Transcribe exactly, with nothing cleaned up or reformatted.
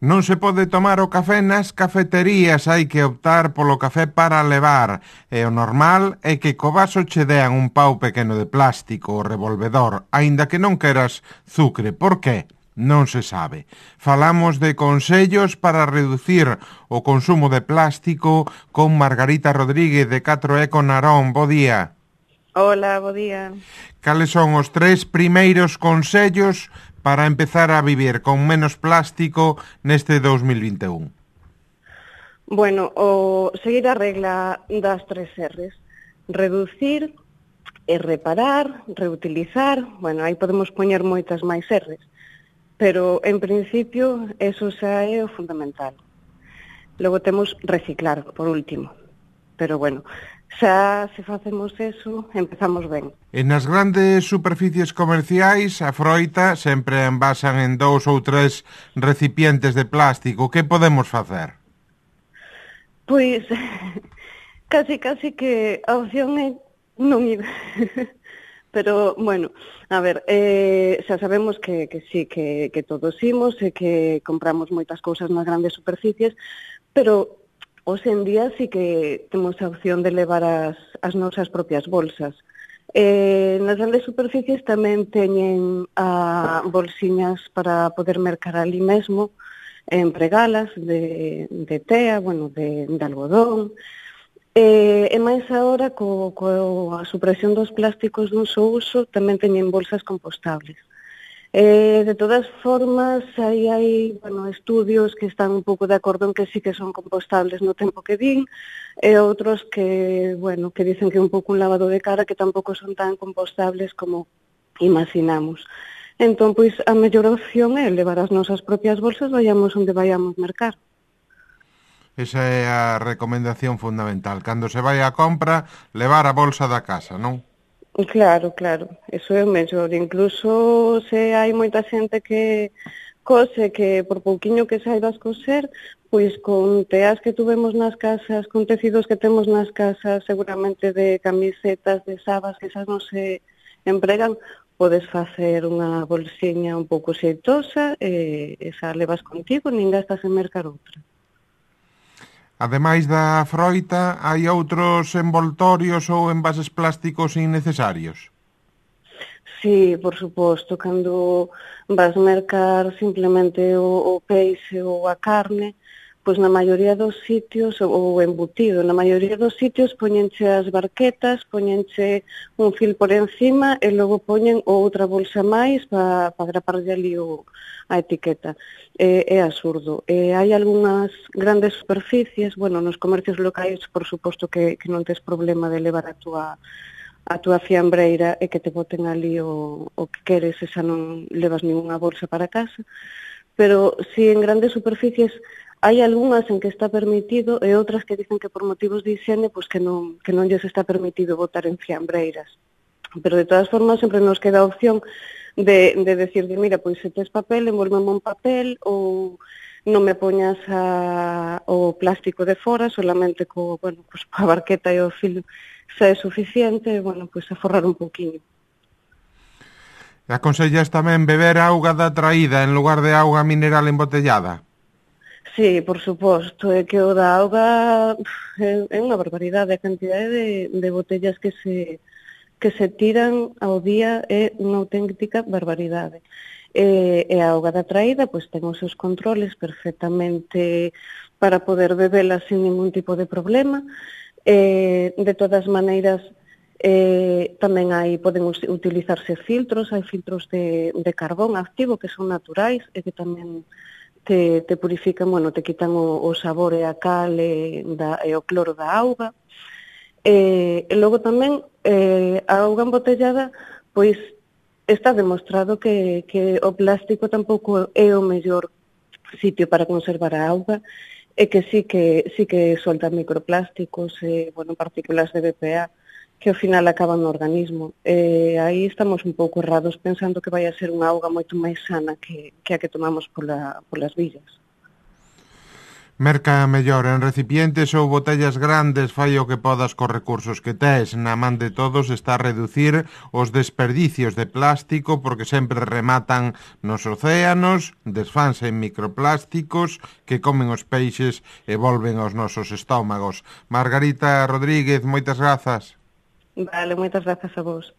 Non se pode tomar o café nas cafeterías, hai que optar polo café para levar. E o normal é que co vaso che dean un pau pequeno de plástico, o revolvedor, aínda que non queras zucre. Por qué? Non se sabe. Falamos de consellos para reducir o consumo de plástico con Margarita Rodríguez de catro E con Narón. Bo día. Hola, bo día. Cales son os tres primeiros consellos para empezar a vivir con menos plástico neste dos mil vinte e un? Bueno, o seguir a regla das tres R's. Reducir, e reparar, reutilizar. Bueno, aí podemos poñer moitas máis R's. Pero, en principio, eso xa é o fundamental. Logo temos reciclar, por último. Pero, bueno, xa se facemos eso, empezamos ben. E nas grandes superficies comerciais, a froita sempre envasan en dous ou tres recipientes de plástico. Que podemos facer? Pois, casi, casi que a opción é non ir. Pero, bueno, a ver, eh, xa sabemos que, que sí, que, que todos imos e que compramos moitas cousas nas grandes superficies, pero hoxe en día sí que temos a opción de levar as, as nosas propias bolsas. Eh, nas grandes superficies tamén teñen a bolsiñas para poder mercar ali mesmo, empregalas de, de tea, bueno, de, de algodón. E, e máis agora, co, co a supresión dos plásticos dun só uso, tamén teñen bolsas compostables. Eh, de todas formas, aí hai bueno, estudios que están un pouco de acordo en que sí que son compostables no tempo que din, e outros que, bueno, que dicen que é un pouco un lavado de cara, que tampouco son tan compostables como imaginamos. Entón, pois, a mellor opción é levar as nosas propias bolsas, vayamos onde vayamos mercar. Esa é a recomendación fundamental. Cando se vai á compra, levar a bolsa da casa, non? Claro, claro. Eso é o mellor. Incluso se hai moita xente que cose que por pouquiño que saibas coser, pois con teas que tuvemos nas casas, con tecidos que temos nas casas, seguramente de camisetas, de sabas, que esas non se empregan, podes facer unha bolsiña un pouco xeitosa e esa levas contigo, nin gastas en mercar outra. Ademais da froita, hai outros envoltorios ou envases plásticos innecesarios? Sí, por suposto, cando vas mercar simplemente o, o peixe ou a carne, pois na maioría dos sitios, ou embutido, na maioría dos sitios poñenche as barquetas, poñenche un fil por encima e logo poñen outra bolsa máis para pa graparlle ali o, a etiqueta. É, é absurdo. E hai algunhas grandes superficies, bueno, nos comercios locais, por suposto que, que non tes problema de levar a túa a túa fiambreira e que te boten ali o, o que queres e xa non levas ninguna bolsa para casa. Pero si en grandes superficies hai algunhas en que está permitido e outras que dicen que por motivos de higiene pois que non, que non lles está permitido botar en fiambreiras. Pero de todas formas sempre nos queda a opción de, de decir, mira, pois se tes papel, envolveme un papel ou non me poñas a, o plástico de fora, solamente co, bueno, pois a barqueta e o filo xa é suficiente, bueno, pois a forrar un pouquiño. Aconsellas tamén beber auga da traída en lugar de auga mineral embotellada? Sí, por suposto, é que o da auga é, é unha barbaridade, a cantidade de, de botellas que se que se tiran ao día é unha auténtica barbaridade. E, e a auga da traída, pois ten os seus controles perfectamente para poder bebela sin ningún tipo de problema. E, de todas maneiras, eh, tamén hai, poden utilizarse filtros, hai filtros de, de carbón activo que son naturais e que tamén te, te purifican, bueno, te quitan o, o sabor e a cal e, da, e o cloro da auga. E, e logo tamén eh, a auga embotellada, pois está demostrado que, que o plástico tampouco é o mellor sitio para conservar a auga e que sí que sí que solta microplásticos e, bueno, partículas de B P A que ao final acaban no organismo. E aí estamos un pouco errados pensando que vai a ser unha auga moito máis sana que, que a que tomamos pola, polas villas. Merca mellor en recipientes ou botellas grandes, fai o que podas cos recursos que tes. Na man de todos está a reducir os desperdicios de plástico porque sempre rematan nos océanos, desfanse en microplásticos que comen os peixes e volven aos nosos estómagos. Margarita Rodríguez, moitas grazas. Vale, moitas grazas a vos.